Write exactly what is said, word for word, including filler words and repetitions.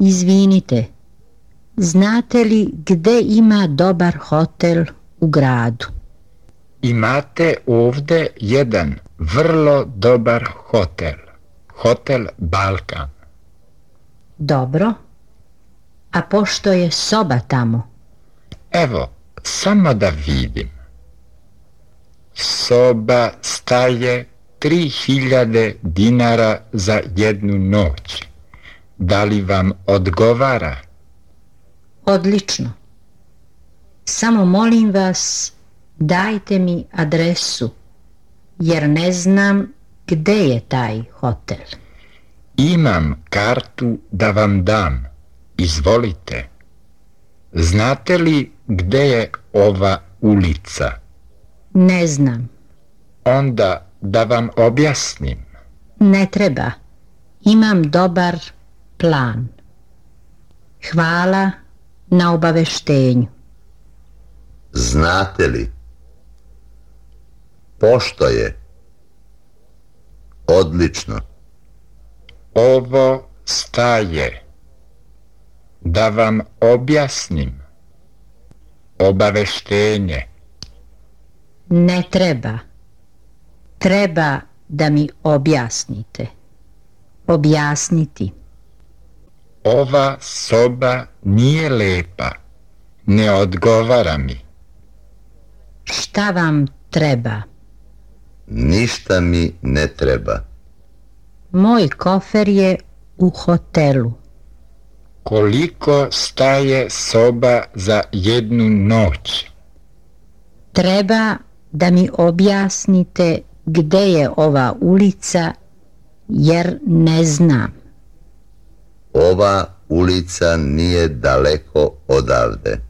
Izvinite, znate li gde ima dobar hotel u gradu? Imate ovde jedan vrlo dobar hotel. Hotel Balkan. Dobro. A pošto je soba tamo? Evo, samo da vidim. Soba staje tri hiljade dinara za jednu noć. Da li vam odgovara? Odlično. Samo molim vas, dajte mi adresu, jer ne znam gde je taj hotel. Imam kartu da vam dam. Izvolite. Znate li gde je ova ulica? Ne znam. Onda da vam objasnim. Ne treba. Imam dobar plan. Hvala na obaveštenju. Znate li? Pošto je? Odlično. Ovo staje. Da vam objasnim. Obaveštenje. Ne treba. Treba da mi objasnite. Objasniti. Ova soba nije lepa. Ne odgovara mi. Šta vam treba? Ništa mi ne treba. Moj kofer je u hotelu. Koliko staje soba za jednu noć? Treba da mi objasnite gde je ova ulica, jer ne znam. Ova ulica nije daleko odavde.